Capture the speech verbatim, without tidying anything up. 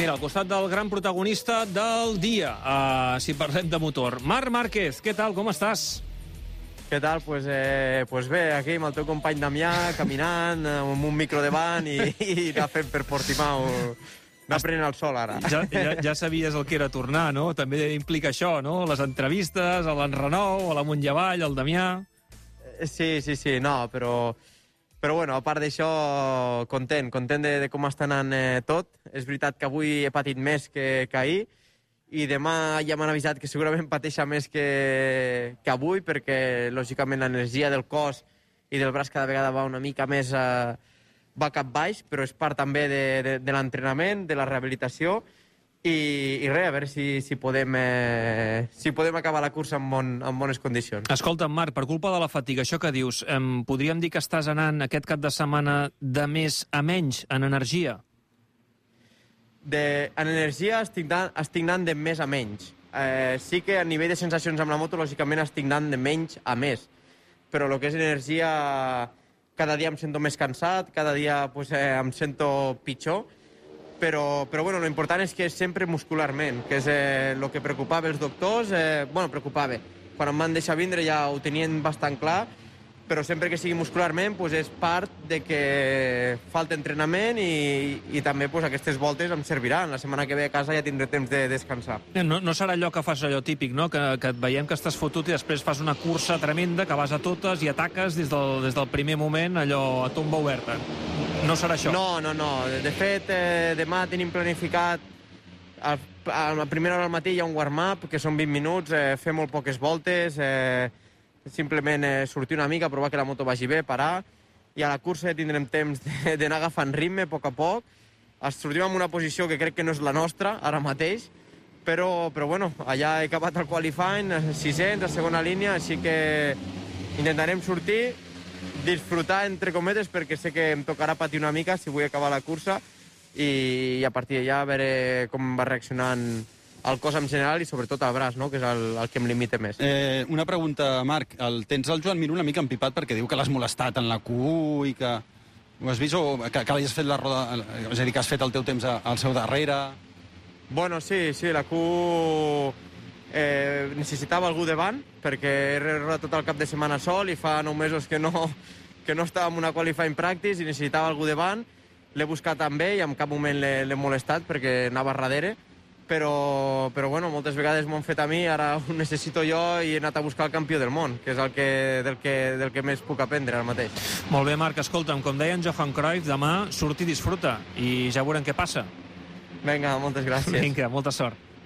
Mira, al costat del gran protagonista del dia, uh, si parlem de motor. Marc Márquez, què tal, com estàs? Què tal? Pues, eh, pues bé, aquí amb el teu company Damià, caminant, amb un micro davant i, i anar fent per Portimao, anar prenent el sol ara. Ja, ja, ja sabies el que era tornar, no? També implica això, no? Les entrevistes, a l'Enrenou, a la Montllevall, al Damià... Sí, sí, sí, no, però... Però, bueno, a part d'això, content, content de, de com està anant eh, tot. És veritat que avui he patit més que, que ahir, i demà ja m'han avisat que segurament pateixa més que, que avui, perquè, lògicament, l'energia del cos i del braç cada vegada va una mica més eh, va cap baix, però és part també de, de, de l'entrenament, de la rehabilitació, i, i res, a veure si, si, podem, eh, si podem acabar la cursa en, bon, en bones condicions. Escolta'm, Marc, per culpa de la fatiga, això que dius, eh, podríem dir que estàs anant aquest cap de setmana de més a menys en energia? De, en energia estic anant, estic anant de més a menys. Eh, sí que a nivell de sensacions amb la moto, lògicament estic anant de menys a més. Però el que és energia, cada dia em sento més cansat, cada dia pues, eh, em sento pitjor, però, però bueno, l'important és que és sempre muscularment, que és el eh, que preocupava els doctors. Eh, bueno, preocupava. Quan em van deixar vindre ja ho tenien bastant clar, però sempre que sigui muscularment pues, és part de que falta entrenament i, i també pues, aquestes voltes em serviran. La setmana que ve a casa ja tindré temps de descansar. No, no serà allò que fas allò típic, no? Que, que et veiem que estàs fotut i després fas una cursa tremenda, que vas a totes i ataques des del, des del primer moment, allò a tomba oberta. No serà això? No, no, no. De fet, eh, demà tenim planificat a, a la primera hora del matí hi ha un warm-up, que són vint minuts, eh, fer molt poques voltes, eh, simplement eh, sortir una mica, provar que la moto vagi bé, parar, i a la cursa ja tindrem temps d'anar agafant ritme a poc a poc. Sortim en una posició que crec que no és la nostra ara mateix, però, però bueno, allà he acabat el qualifying, sisens, a segona línia, així que intentarem sortir, disfrutar, entre cometes, perquè sé que em tocarà patir una mica si vull acabar la cursa, i, i a partir d'allà a veure com va reaccionant el cos en general i sobretot el braç, no? Que és el, el que em limita més. Eh, una pregunta, Marc. El, tens el Joan Mir una mica empipat perquè diu que l'has molestat en la Q u i que... Ho has vist o que, que has fet la roda... És a dir, que has fet el teu temps al seu darrere? Bueno, sí, sí, la Q u eh, necessitava algú davant, perquè he rodat tot el cap de setmana sol i fa nou mesos que no, que no estava en una qualifying practice i necessitava algú davant. L'he buscat també i en cap moment l'he molestat perquè anava darrere, però, però bueno, moltes vegades m'ho han fet a mi, ara ho necessito jo i he anat a buscar el campió del món, que és el que, del, que, del que més puc aprendre ara mateix. Molt bé, Marc, escolta'm, com deia en Johan Cruyff, demà surt i disfruta i ja veurem què passa. Vinga, moltes gràcies. Vinga, molta sort.